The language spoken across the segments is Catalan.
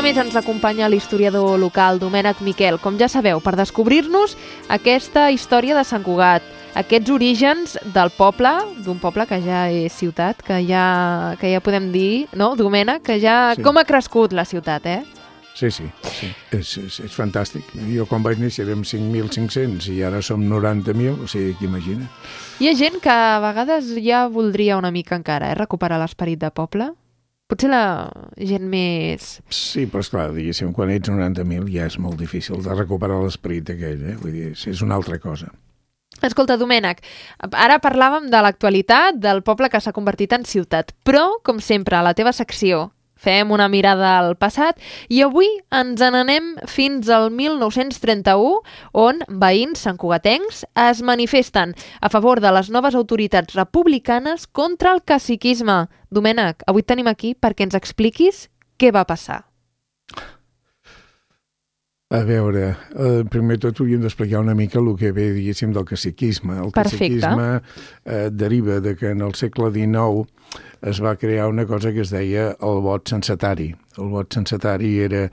setmana més ens acompanya l'historiador local Domènec Miquel, com ja sabeu, per descobrir-nos aquesta història de Sant Cugat, aquests orígens del poble, d'un poble que ja és ciutat, que ja podem dir, no, Domènec, que ja... Sí. Com ha crescut la ciutat, Sí. És fantàstic. Jo quan vaig néixer érem 5.500 i ara som 90.000, o sigui, que imagina. Hi ha gent que a vegades ja voldria una mica encara, recuperar l'esperit de poble? Potser la gent més... Sí, però esclar, diguéssim, quan ets 90.000 ja és molt difícil de recuperar l'esperit aquell, Vull dir, és una altra cosa. Escolta, Domènec, ara parlàvem de l'actualitat del poble que s'ha convertit en ciutat, però, com sempre, a la teva secció fem una mirada al passat i avui ens n'anem fins al 1931, on veïns santcugatencs es manifesten a favor de les noves autoritats republicanes contra el caciquisme. Domènec, avui et tenim aquí perquè ens expliquis què va passar. A veure, primer tot hauríem d'explicar una mica el que ve, diguéssim, del caciquisme. El caciquisme deriva de que en el segle XIX es va crear una cosa que es deia el vot censatari. El vot censatari era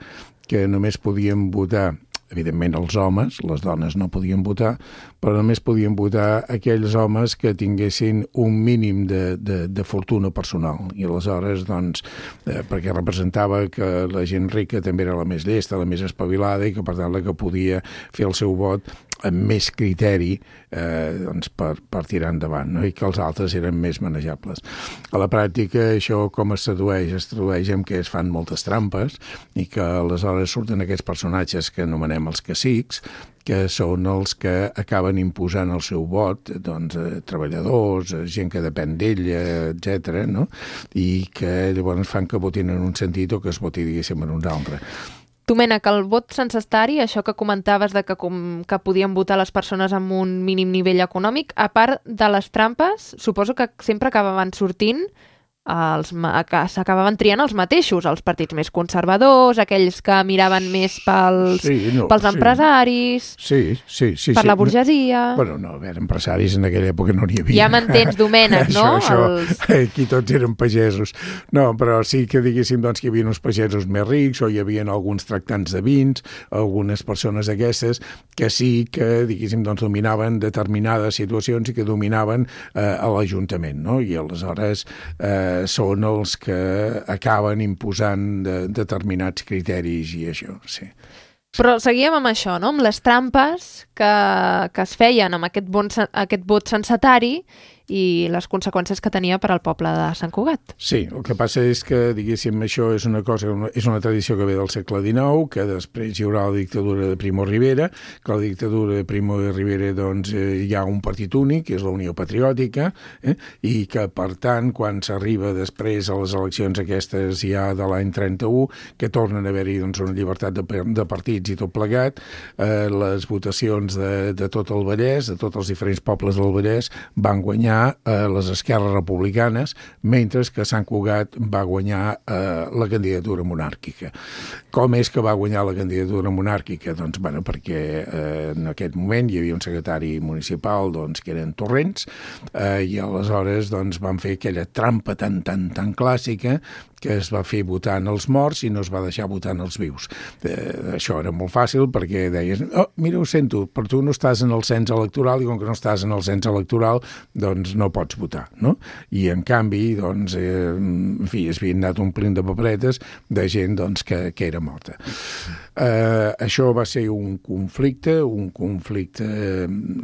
que només podien votar, evidentment, els homes, les dones no podien votar, però només podien votar aquells homes que tinguessin un mínim de fortuna personal. I aleshores, doncs, perquè representava que la gent rica també era la més llesta, la més espavilada i que, per tant, la que podia fer el seu vot amb més criteri doncs per tirar endavant, no? I que els altres eren més manejables. A la pràctica, això com es tradueix? Es tradueix en què es fan moltes trampes i que aleshores surten aquests personatges que anomenem els cacics, que són els que acaben imposant el seu vot, doncs, treballadors, gent que depèn d'ella, etc., no? I que llavors fan que votin en un sentit o que es voti, diguéssim, en un altre. Domènec, el vot censatari, això que comentaves de que podien votar les persones amb un mínim nivell econòmic, a part de les trampes, suposo que sempre acabaven sortint que s'acabaven triant els mateixos, els partits més conservadors, aquells que miraven més pels empresaris, per la burgesia... Bueno, no, a veure, empresaris en aquella època no n'hi havia. Ja m'entens, Domènec, no? Aquí tots eren pagesos. No, però sí que diguéssim doncs, que hi havia uns pagesos més rics o hi havia alguns tractants de vins, algunes persones aquestes que sí que, diguéssim, doncs, dominaven determinades situacions i que dominaven a l'Ajuntament, no? I aleshores són els que acaben imposant determinats criteris i això, sí. Però seguíem amb això, no? Amb les trampes que es feien amb aquest vot censatari i les conseqüències que tenia per al poble de Sant Cugat. Sí, el que passa és que, diguéssim, això és una tradició que ve del segle XIX, que després hi haurà la dictadura de Primo de Rivera, que la dictadura de Primo de Rivera, doncs, hi ha un partit únic, que és la Unió Patriòtica, i que, per tant, quan s'arriba després a les eleccions aquestes ja de l'any 31, que tornen a haver-hi, doncs, una llibertat de partits i tot plegat, les votacions de tot el Vallès, de tots els diferents pobles del Vallès, van guanyar les esquerres republicanes, mentre que Sant Cugat va guanyar la candidatura monàrquica. Com és que va guanyar la candidatura monàrquica? Doncs, bueno, perquè en aquest moment hi havia un secretari municipal, doncs, que eren Torrents, i aleshores, doncs, van fer aquella trampa tan clàssica que es va fer votant els morts i no es va deixar votant els vius. Això era molt fàcil perquè deies, mira, ho sento, però tu no estàs en el cens electoral i com que no estàs en el cens electoral, doncs no pots votar, no? I en canvi, doncs, en fi, es havien anat omplint de paperetes de gent, doncs, que era morta. Això va ser un conflicte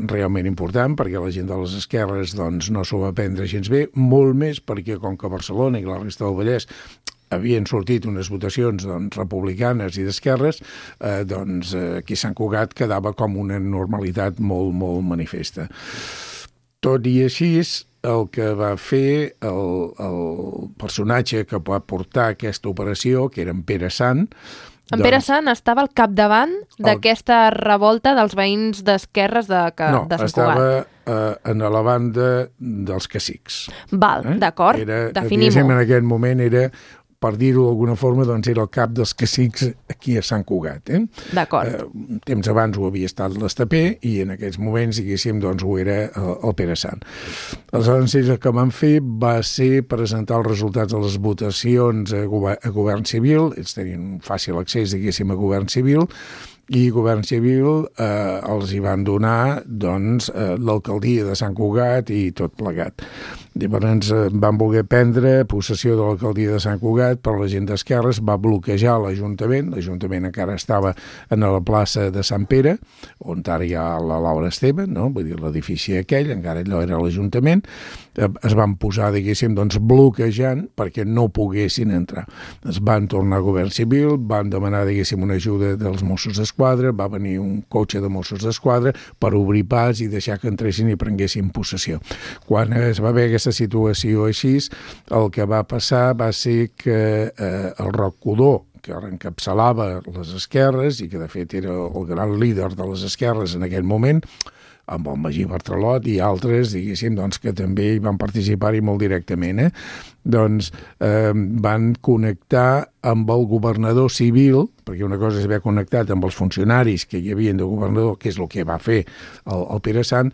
realment important perquè la gent de les esquerres, doncs, no s'ho va prendre gens bé, molt més perquè com que Barcelona i la resta del Vallès havien sortit unes votacions, doncs, republicanes i d'esquerres, doncs aquí a Sant Cugat quedava com una normalitat molt, molt manifesta. Tot i així, el que va fer el personatge que va portar aquesta operació, que era en Pere Sant, en Pere Sant estava al capdavant d'aquesta revolta dels veïns d'esquerres de Sant Cugat. No, estava en la banda dels cacics. Val, d'acord, definim-ho. En aquell moment era per dir-ho d'alguna forma, doncs era el cap dels cacics aquí a Sant Cugat. D'acord. Temps abans ho havia estat l'Estapé i en aquests moments, diguéssim, doncs ho era el Pere Sant. Aleshores, el que van fer va ser presentar els resultats de les votacions a Govern Civil, ells tenien fàcil accés, diguéssim, a Govern Civil, i Govern Civil els hi van donar doncs, l'alcaldia de Sant Cugat i tot plegat. Llavors van voler prendre possessió de l'alcaldia de Sant Cugat, però la gent d'esquerres va bloquejar l'Ajuntament encara estava a la plaça de Sant Pere, on ara hi ha la Laura Esteve, no? Vull dir, l'edifici aquell, encara allò era l'Ajuntament, es van posar, diguéssim, doncs, bloquejant perquè no poguessin entrar. Es van tornar a Govern Civil, van demanar, diguéssim, una ajuda dels Mossos d'Esquadra, va venir un cotxe de Mossos d'Esquadra per obrir pas i deixar que entressin i prenguessin possessió. Quan es va veure aquesta situació així, el que va passar va ser que el Roc Codó, que encapçalava les esquerres i que de fet era el gran líder de les esquerres en aquell moment, amb el Magí Bartralot i altres, diguéssim, doncs, que també hi van participar-hi molt directament, doncs van connectar amb el governador civil, perquè una cosa és haver connectat amb els funcionaris que hi havia de governador, que és el que va fer el Pere Sant.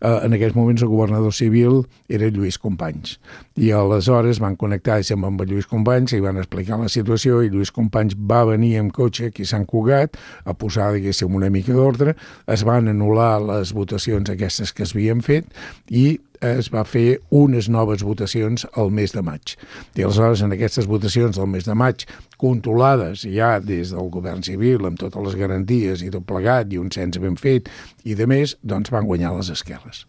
En aquells moments el governador civil era Lluís Companys, i aleshores van connectar-se amb Lluís Companys i van explicar la situació, i Lluís Companys va venir amb cotxe aquí a Sant Cugat a posar, diguéssim, una mica d'ordre, es van anul·lar les votacions aquestes que es havien fet i es va fer unes noves votacions al mes de maig. I aleshores, en aquestes votacions del mes de maig, controlades ja des del govern civil, amb totes les garanties i tot plegat, i un cens ben fet, i de més, doncs van guanyar les esquerres.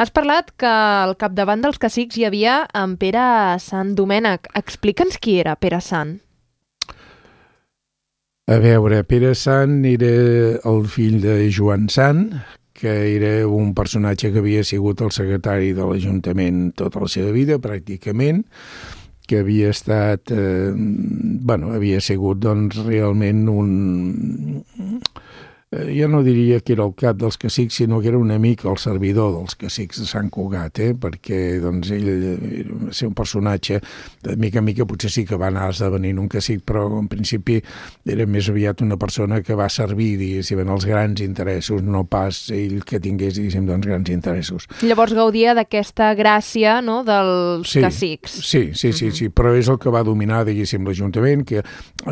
Has parlat que al capdavant dels cacics hi havia en Pere Sant Domènec. Explica'ns qui era Pere Sant. A veure, Pere Sant era el fill de Joan Sant, que era un personatge que havia sigut el secretari de l'Ajuntament tota la seva vida, pràcticament, que havia estat, havia sigut doncs realment un... Jo no diria que era el cap dels cacics, sinó que era un amic, el servidor dels cacics de Sant Cugat, perquè doncs, ell va ser un personatge, de mica en mica potser sí que va anar esdevenint un cacic, però en principi era més aviat una persona que va servir, diguéssim, en els grans interessos, no pas ell que tingués, diguéssim, doncs, grans interessos. Llavors gaudia d'aquesta gràcia, no?, dels cacics. Sí, però és el que va dominar, diguéssim, l'Ajuntament, que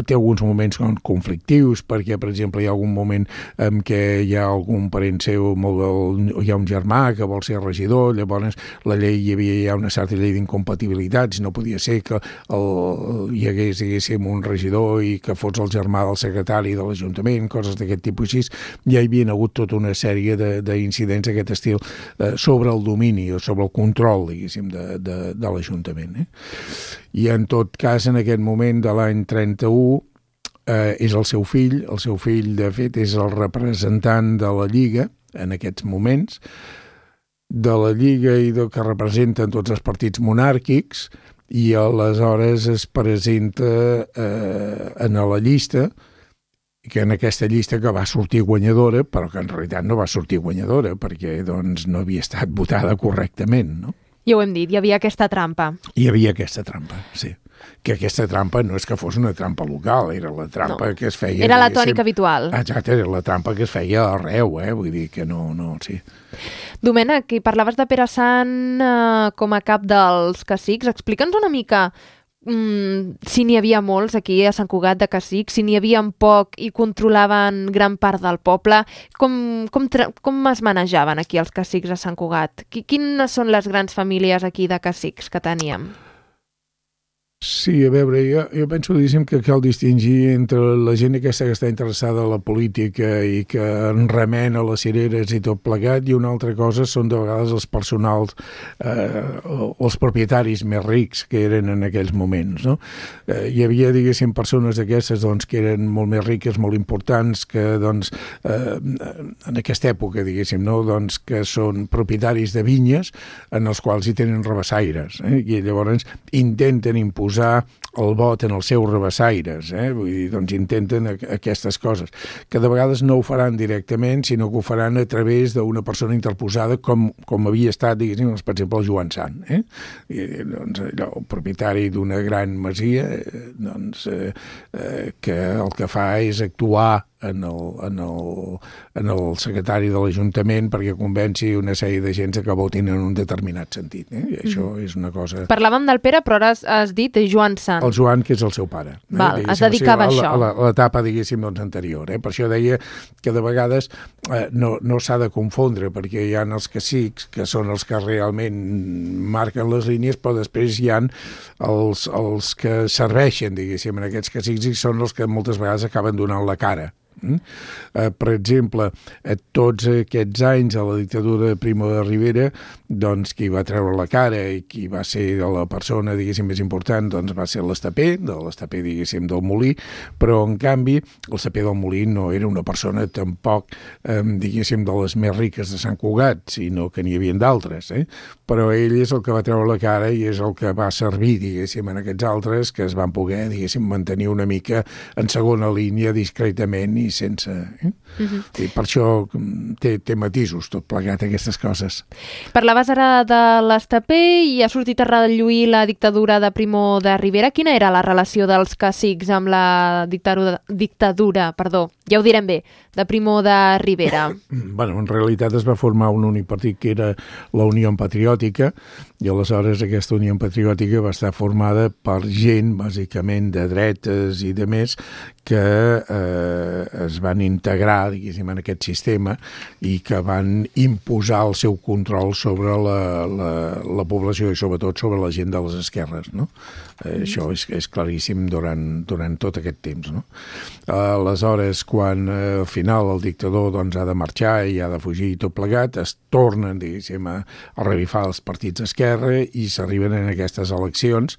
té alguns moments conflictius, perquè, per exemple, hi ha algun moment en què hi ha algun parent seu, hi ha un germà que vol ser regidor, llavors la llei hi havia ja una certa llei d'incompatibilitats, no podia ser que hi hagués, diguéssim, un regidor i que fos el germà del secretari de l'Ajuntament, coses d'aquest tipus així. Ja hi havia hagut tota una sèrie d'incidents d'aquest estil sobre el domini o sobre el control, diguéssim, de l'Ajuntament. I en tot cas, en aquest moment de l'any 31, és el seu fill, de fet, és el representant de la Lliga en aquests moments, de la Lliga i del que representen tots els partits monàrquics, i aleshores es presenta en la llista, que en aquesta llista que va sortir guanyadora, però que en realitat no va sortir guanyadora, perquè doncs, no havia estat votada correctament, no? Ja ho hem dit, hi havia aquesta trampa. Hi havia aquesta trampa, sí. Que aquesta trampa no és que fos una trampa local, era la trampa que es feia... Era la tònica habitual. Exacte, era la trampa que es feia arreu, vull dir que no, sí. Domènec, i parlaves de Pere Sant com a cap dels cacics. Explica'ns una mica si n'hi havia molts aquí a Sant Cugat de cacics, si n'hi havia poc i controlaven gran part del poble. Com es manejaven aquí els cacics a Sant Cugat? Quines són les grans famílies aquí de cacics que teníem? Sí, a veure, jo penso, diguéssim, que cal distingir entre la gent aquesta que està interessada en la política i que en remena les cireres i tot plegat, i una altra cosa són de vegades els personals, els propietaris més rics que eren en aquells moments, no? Hi havia, diguéssim, persones d'aquestes doncs, que eren molt més riques, molt importants, que doncs, en aquesta època, diguéssim, no? Doncs, que són propietaris de vinyes en els quals hi tenen rabassaires, i llavors intenten imposar el vot en els seus rabassaires, vull dir, doncs intenten aquestes coses, que de vegades no ho faran directament, sinó que ho faran a través d'una persona interposada com havia estat, diguéssim, per exemple, el Joan Sant, doncs, allò, el propietari d'una gran masia, doncs, que el que fa és actuar en el secretari de l'Ajuntament perquè convenci una sèrie de gent que votin en un determinat sentit. I això és una cosa... Parlàvem del Pere, però ara has dit Joan Sant. El Joan, que és el seu pare. Val, es dedicava a això. A l'etapa, diguéssim, doncs, anterior. Per això deia que de vegades no s'ha de confondre, perquè hi ha els cacics, que són els que realment marquen les línies, però després hi ha els que serveixen, diguéssim, en aquests cacics, i són els que moltes vegades acaben donant la cara. Per exemple, tots aquests anys a la dictadura de Primo de Rivera, doncs qui va treure la cara i qui va ser la persona, diguéssim, més important, doncs va ser l'Estapé, diguéssim, del Molí, però en canvi l'Estapé del Molí no era una persona tampoc, diguéssim, de les més riques de Sant Cugat, sinó que n'hi havia d'altres, però ell és el que va treure la cara i és el que va servir, diguéssim, en aquests altres que es van poder, diguéssim, mantenir una mica en segona línia discretament i sense... I per això té matisos tot plegat aquestes coses. Parlaves ara de l'Estapé i ha sortit a relluir la dictadura de Primo de Rivera. Quina era la relació dels cacics amb la dictadura, ja ho direm bé, de Primo de Rivera? Bueno, en realitat es va formar un únic partit que era la Unió Patriòtica, i aleshores aquesta Unió Patriòtica va estar formada per gent, bàsicament, de dretes i de més, que es van integrar, diguéssim, en aquest sistema i que van imposar el seu control sobre la població i sobretot sobre la gent de les esquerres, no? Això és claríssim durant tot aquest temps, no? Aleshores, quan al final el dictador doncs, ha de marxar i ha de fugir i tot plegat, es tornen, diguéssim, a revifar els partits d'esquerra i s'arriben en aquestes eleccions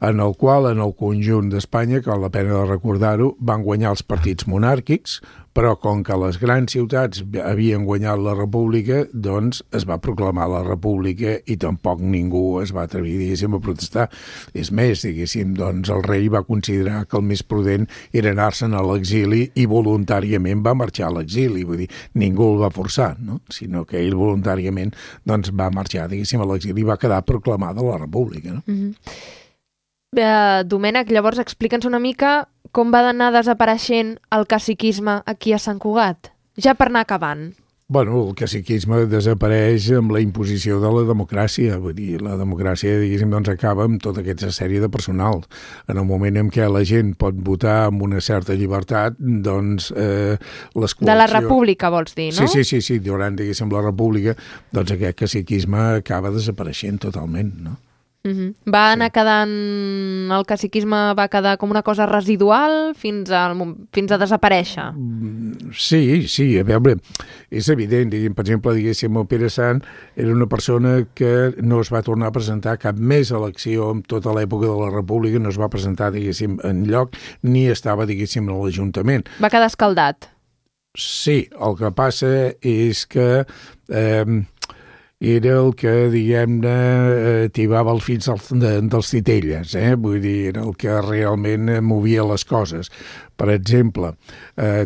en el qual, en el conjunt d'Espanya, que val la pena de recordar-ho, van guanyar els partits monàrquics, però com que les grans ciutats havien guanyat la república, doncs es va proclamar la república i tampoc ningú es va atrevir, diguéssim, a protestar. És més, diguéssim, doncs el rei va considerar que el més prudent era anar-se'n a l'exili i voluntàriament va marxar a l'exili, vull dir, ningú el va forçar, no? Sinó que ell voluntàriament doncs, va marxar, diguéssim, a l'exili i va quedar proclamada la república, no? Domènec, llavors explica'ns una mica com va anar desapareixent el caciquisme aquí a Sant Cugat, ja per anar acabant. Bueno, el caciquisme desapareix amb la imposició de la democràcia, vull dir, la democràcia, diguéssim, doncs acaba amb tota aquesta sèrie de personal. En el moment en què la gent pot votar amb una certa llibertat, doncs les coalicions... De la república, vols dir, no? Sí, durant, diguéssim, la república, doncs aquest caciquisme acaba desapareixent totalment, no? Va anar quedant... El caciquisme va quedar com una cosa residual fins a desaparèixer. Sí, a veure, és evident, per exemple, diguéssim, el Pere Sant era una persona que no es va tornar a presentar cap més elecció en tota l'època de la República, no es va presentar, diguéssim, enlloc, ni estava, diguéssim, a l'Ajuntament. Va quedar escaldat. Sí, el que passa és que... era el que, diguem-ne, tibava el fills dels titelles, vull dir, era el que realment movia les coses. Per exemple,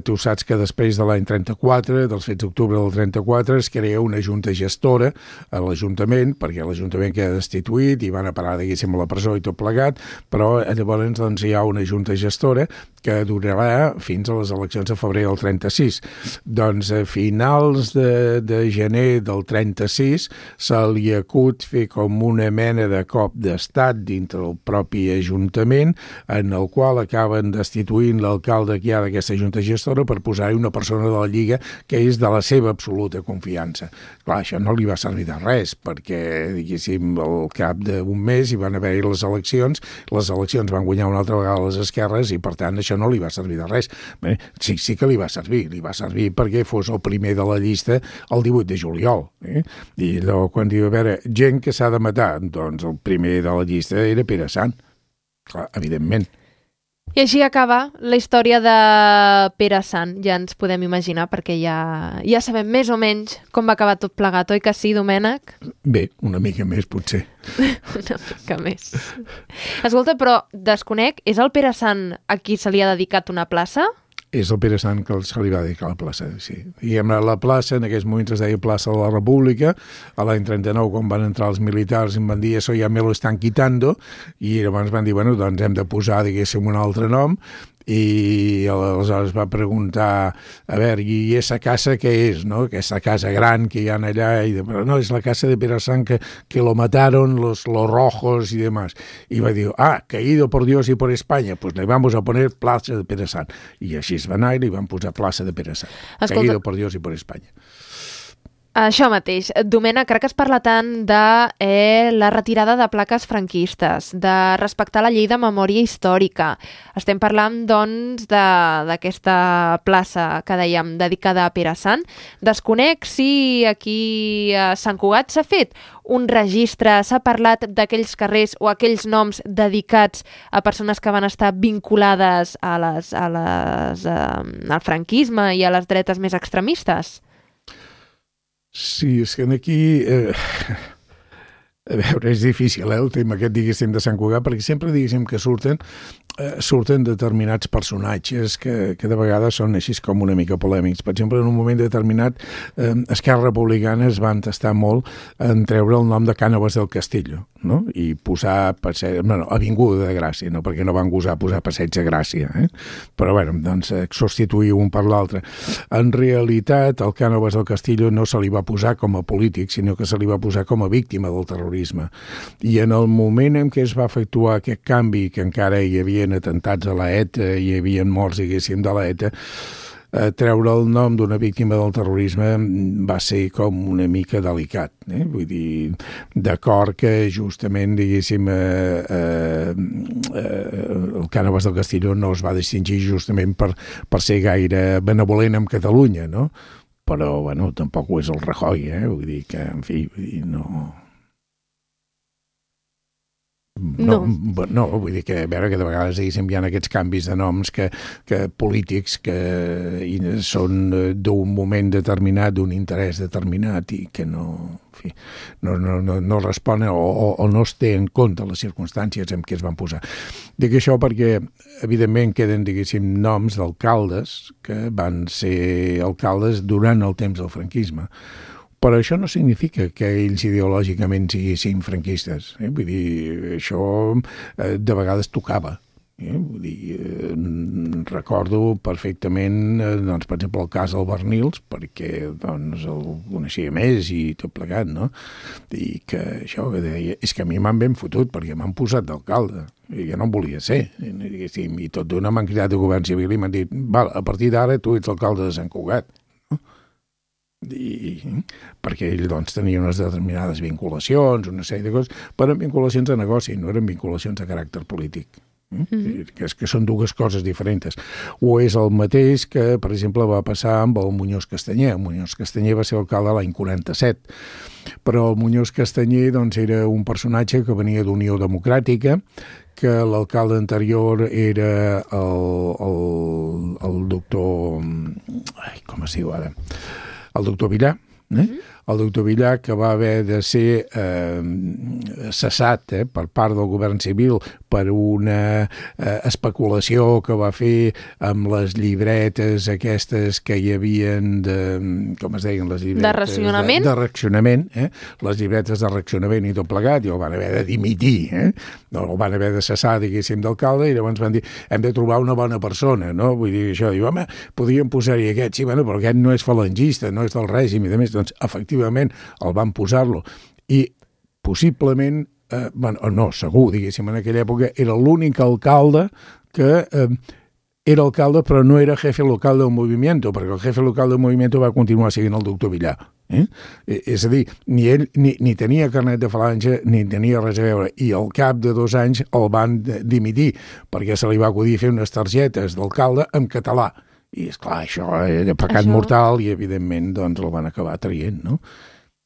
tu saps que després de l'any 34, dels fets d'octubre del 34, es crea una junta gestora a l'Ajuntament, perquè l'Ajuntament queda destituït i van a parar, diguéssim, a la presó i tot plegat, però llavors doncs, hi ha una junta gestora que durarà fins a les eleccions de febrer del 36. Doncs a finals de gener del 36 se li acut fer com una mena de cop d'estat dintre el propi Ajuntament, en el qual acaben destituint l'alcalde que hi ha d'aquesta junta gestora per posar-hi una persona de la Lliga que és de la seva absoluta confiança. Clar, això no li va servir de res, perquè, diguéssim, al cap d'un mes hi van haver-hi les eleccions van guanyar una altra vegada les esquerres i, per tant, això no li va servir de res. Bé, sí que li va servir perquè fos el primer de la llista el 18 de juliol. I allò, quan diu, a veure, gent que s'ha de matar, doncs el primer de la llista era Pere Sant. Clar, evidentment. I així acaba la història de Pere Sant. Ja ens podem imaginar, perquè ja sabem més o menys com va acabar tot plegat, oi que sí, Domènec? Bé, una mica més, potser. Una mica més. Escolta, però desconec, és el Pere Sant a qui se li ha dedicat una plaça? És el Pere Sant que se li va dedicar a la plaça, sí. I la plaça, en aquells moments es deia plaça de la República, a l'any 39, quan van entrar els militars, em van dir, això ja me lo están quitando, i llavors van dir, bueno, doncs hem de posar, diguéssim, un altre nom, i aleshores va preguntar, a veure, i esa casa què és, no? Aquesta casa gran que hi ha allà, i però no, és la casa de Pere Sant que lo mataron los rojos y demás. Y va dir, caído por Dios y por España, pues le vamos a poner plaça de Pere Sant. I així es va anar i li van posar plaça de Pere Sant. Escolta, caído por Dios y por España. Això mateix. Domènec, crec que es parla tant de la retirada de plaques franquistes, de respectar la llei de memòria històrica. Estem parlant, doncs, d'aquesta plaça que dèiem dedicada a Pere Sant. Desconec si aquí a Sant Cugat s'ha fet un registre, s'ha parlat d'aquells carrers o aquells noms dedicats a persones que van estar vinculades al franquisme i a les dretes més extremistes? Sí, és que aquí... a veure, és difícil, el tema aquest, diguéssim, de Sant Cugat, perquè sempre, diguéssim, que surten determinats personatges que de vegades són així com una mica polèmics. Per exemple, en un moment determinat, Esquerra Republicana es va entestar molt en treure el nom de Cànoves del Castillo, no? I posar Avinguda de Gràcia, no? Perquè no van gosar posar Passeig de Gràcia, Però, bueno, doncs, substituir un per l'altre. En realitat, el Cànoves del Castillo no se li va posar com a polític, sinó que se li va posar com a víctima del terrorisme. I en el moment en què es va efectuar aquest canvi, que encara hi havia atentats a l'ETA, hi havia morts, diguéssim, de l'ETA, treure el nom d'una víctima del terrorisme va ser com una mica delicat. Vull dir, d'acord que justament, diguéssim, el Cànoves del Castillo no es va distingir justament per ser gaire benevolent amb Catalunya, no? Però, bueno, tampoc ho és el Rajoy, vull dir que, en fi, no... No, vull dir que, a veure, que de vegades hi ha aquests canvis de noms que polítics que són d'un moment determinat, d'un interès determinat i que no responen o no es té en compte les circumstàncies en què es van posar. Dic això perquè, evidentment, queden, diguéssim, noms d'alcaldes que van ser alcaldes durant el temps del franquisme. Però això no significa que ells ideològicament siguin franquistes. Vull dir, això de vegades tocava. Vull dir, recordo perfectament, doncs, per exemple, el cas del Bernils, perquè doncs, el coneixia més i tot plegat, no? I que això que deia, és que a mi m'han ben fotut perquè m'han posat d'alcalde. I jo no en volia ser. I tot d'una m'han cridat de govern civil i m'han dit, val, a partir d'ara tu ets l'alcalde de Sant Cugat. Perquè ell doncs, tenia unes determinades vinculacions, una sèrie de coses, però eren vinculacions de negoci, no eren vinculacions de caràcter polític. Que són dues coses diferents. O és el mateix que, per exemple, va passar amb el Muñoz Castanyer. El Muñoz Castanyer va ser alcalde l'any 47, però el Muñoz Castanyer doncs, era un personatge que venia d'Unió Democràtica, que l'alcalde anterior era el doctor... com es diu ara? El doctor Villar, el doctor Villar, que va haver de ser cessat per part del govern civil per una especulació que va fer amb les llibretes aquestes que hi havien de... com es deien les llibretes? De racionament? De racionament, les llibretes de racionament i tot plegat, i el van haver de dimitir, el van haver de cessar, diguéssim, d'alcalde, i llavors van dir, hem de trobar una bona persona, no? Vull dir, això, diu, home, podríem posar-hi aquest, sí, bueno, però aquest no és falangista, no és del règim, i de més, doncs, efectivament, el van posar-lo. I possiblement, segur, diguéssim, en aquella època, era l'únic alcalde que era alcalde, però no era jefe local del movimiento, perquè el jefe local del movimiento va continuar siguent el doctor Villar. És a dir, ni ell ni tenia carnet de falange, ni tenia res a veure, i al cap de 2 anys el van dimitir, perquè se li va acudir fer unes targetes d'alcalde en català. I, esclar, això era pecat mortal i, evidentment, doncs el van acabar traient, no?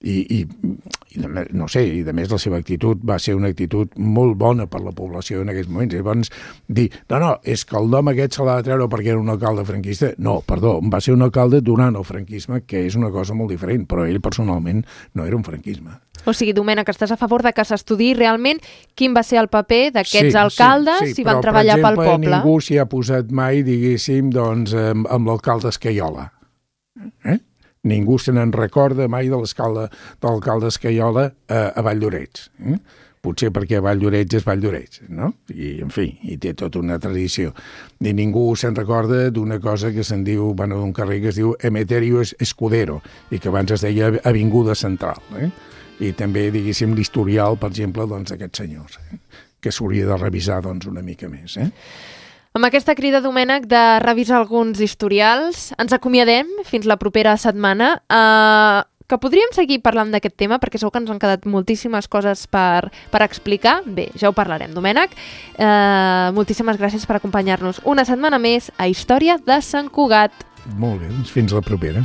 no sé, i de més la seva actitud va ser una actitud molt bona per la població en aquells moments. Llavors, dir, no, és que el nom aquest se l'ha de treure perquè era un alcalde franquista. No, perdó, va ser un alcalde durant el franquisme, que és una cosa molt diferent, però ell personalment no era un franquisme. O sigui, Domènec, estàs a favor de que s'estudiï realment quin va ser el paper d'aquests alcaldes si van treballar pel poble. Però, per exemple, ningú s'hi ha posat mai, diguéssim, doncs, amb l'alcalde Escaiola. Ningú se n'en recorda mai de l'alcalde Escaiola a Valldoreix. Potser perquè Valldoreix és Valldoreix, no? I, en fi, hi té tota una tradició. I ningú se'n recorda d'una cosa que se'n diu, d'un carrer que es diu Emeterio Escudero, i que abans es deia Avinguda Central, I també, diguéssim, l'historial, per exemple, d'aquests senyors, que s'hauria de revisar una mica més. Amb aquesta crida, Domènec, de revisar alguns historials, ens acomiadem fins la propera setmana, que podríem seguir parlant d'aquest tema, perquè segur que ens han quedat moltíssimes coses per explicar. Bé, ja ho parlarem, Domènec. Moltíssimes gràcies per acompanyar-nos una setmana més a Història de Sant Cugat. Molt bé, doncs fins la propera.